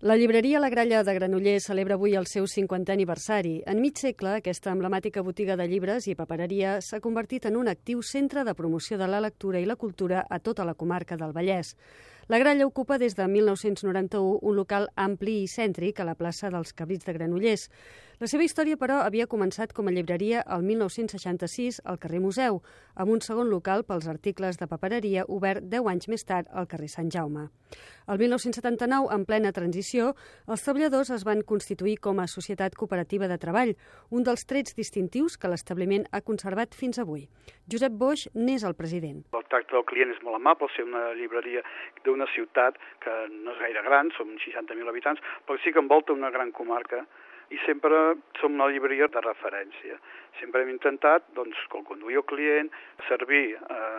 La llibreria La Gralla de Granollers celebra avui el seu 50è aniversari. En mig segle, aquesta emblemàtica botiga de llibres i papereria s'ha convertit en un actiu centre de promoció de la lectura i la cultura a tota la comarca del Vallès. La Gralla ocupa des de 1991 un local ampli i cèntric a la plaça dels Cabrits de Granollers. La seva història, però, havia començat com a llibreria el 1966 al carrer Museu, amb un segon local pels articles de papereria obert 10 anys més tard al carrer Sant Jaume. El 1979, en plena transició, els treballadors es van constituir com a societat cooperativa de treball, un dels trets distintius que l'establiment ha conservat fins avui. Josep Boix n'és el president. El tracte del client és molt amable, ser una llibreria d'una ciutat que no és gaire gran, som 60.000 habitants, però sí que envolta una gran comarca i sempre som una llibreria de referència. Sempre hem intentat que conduir el client, servir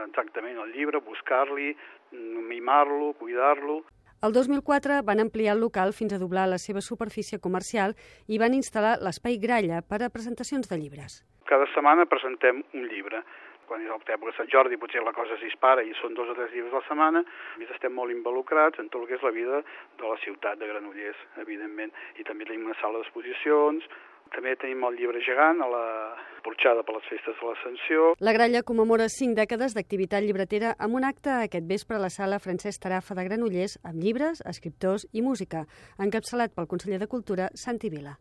exactament el llibre, buscar-li, mimar-lo, cuidar-lo. El 2004 van ampliar el local fins a doblar la seva superfície comercial i van instal·lar l'espai Gralla per a presentacions de llibres. Cada setmana presentem un llibre. Quan és l'època de Sant Jordi potser la cosa es dispara i són 2 o 3 llibres a la setmana. Estem molt involucrats en tot el que és la vida de la ciutat de Granollers, evidentment. I també tenim una sala d'exposicions, també tenim el llibre gegant a la porxada per les festes de l'Ascensió. La Gralla commemora 5 dècades d'activitat llibretera amb un acte aquest vespre a la sala Francesc Tarafa de Granollers amb llibres, escriptors i música, encapçalat pel conseller de Cultura, Santi Vila.